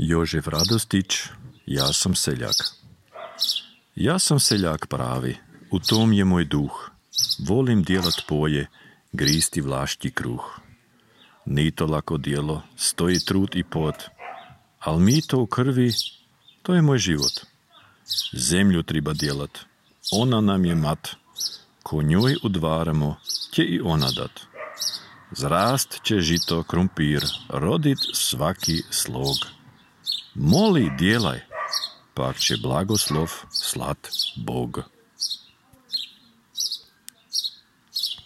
Jožef Radostić, ja sam seljak. Ja sam seljak pravi, u tom je moj duh. Volim djelat poje, gristi vlaški kruh. Ni to lako djelo, stoji trud i pot, al mi to u krvi, to je moj život. Zemlju treba djelat, ona nam je mat, ko njoj udvaramo, će i ona dat. Zrast će žito krumpir, rodit svaki slog. Moli, djelaj, pak će blagoslov slat Bog.